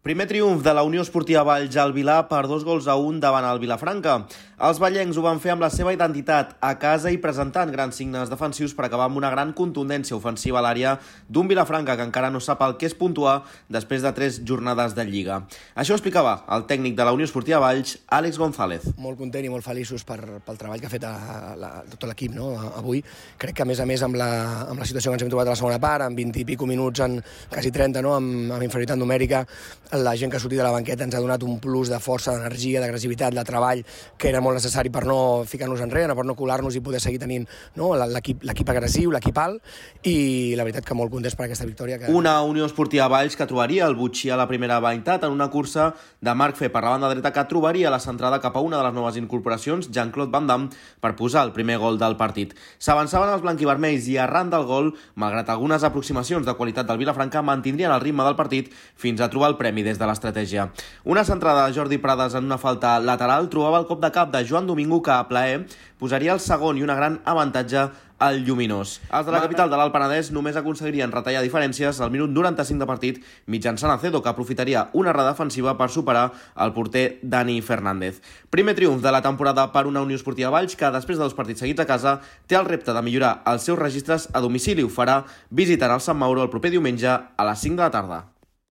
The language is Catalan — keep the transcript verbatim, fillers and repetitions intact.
Primer triomf de la Unió Esportiva Valls al Vilar per dos gols a un davant el Vilafranca. Els vallencs ho van fer amb la seva identitat a casa i presentant grans signes defensius per acabar amb una gran contundència ofensiva a l'àrea d'un Vilafranca que encara no sap el que és puntuar després de tres jornades de Lliga. Això ho explicava el tècnic de la Unió Esportiva Valls, Àlex González. Molt content i molt feliços per, pel treball que ha fet a, a, a tot l'equip, no? Avui. Crec que a més a més amb la, amb la situació que ens hem trobat a la segona part, amb vint i pico minuts, en quasi trenta, no? amb, amb inferioritat numèrica, la gent que ha sortit de la banqueta ens ha donat un plus de força, d'energia, d'agressivitat, de treball, que era molt necessari per no ficar-nos enrere, per no colar-nos i poder seguir tenint, no? l'equip agressiu, l'equip alt, i la veritat que molt contents per aquesta victòria. Que... Una Unió Esportiva Valls que trobaria el Butxí a la primera meitat en una cursa de Marc Fe per la banda dreta que trobaria la centrada cap a una de les noves incorporacions, Jean-Claude Van Damme, per posar el primer gol del partit. S'avançaven els blanquivermells i arran del gol, malgrat algunes aproximacions de qualitat del Vilafranca, mantindrien el ritme del partit fins a trobar el premi des de l'estratègia. Una centrada de Jordi Prades en una falta lateral trobava el cop de cap de Joan Domingo que a plaer posaria el segon i una gran avantatge al Lluminós. Els de la capital de l'Alt Penedès només aconseguirien retallar diferències al minut noranta-cinc de partit mitjançant Acedo, que aprofitaria una errada defensiva per superar el porter Dani Fernández. Primer triomf de la temporada per una Unió Esportiva Valls que, després de dos partits seguits a casa, té el repte de millorar els seus registres a domicili. Ho farà visitant el Sant Mauro el proper diumenge a les cinc de la tarda.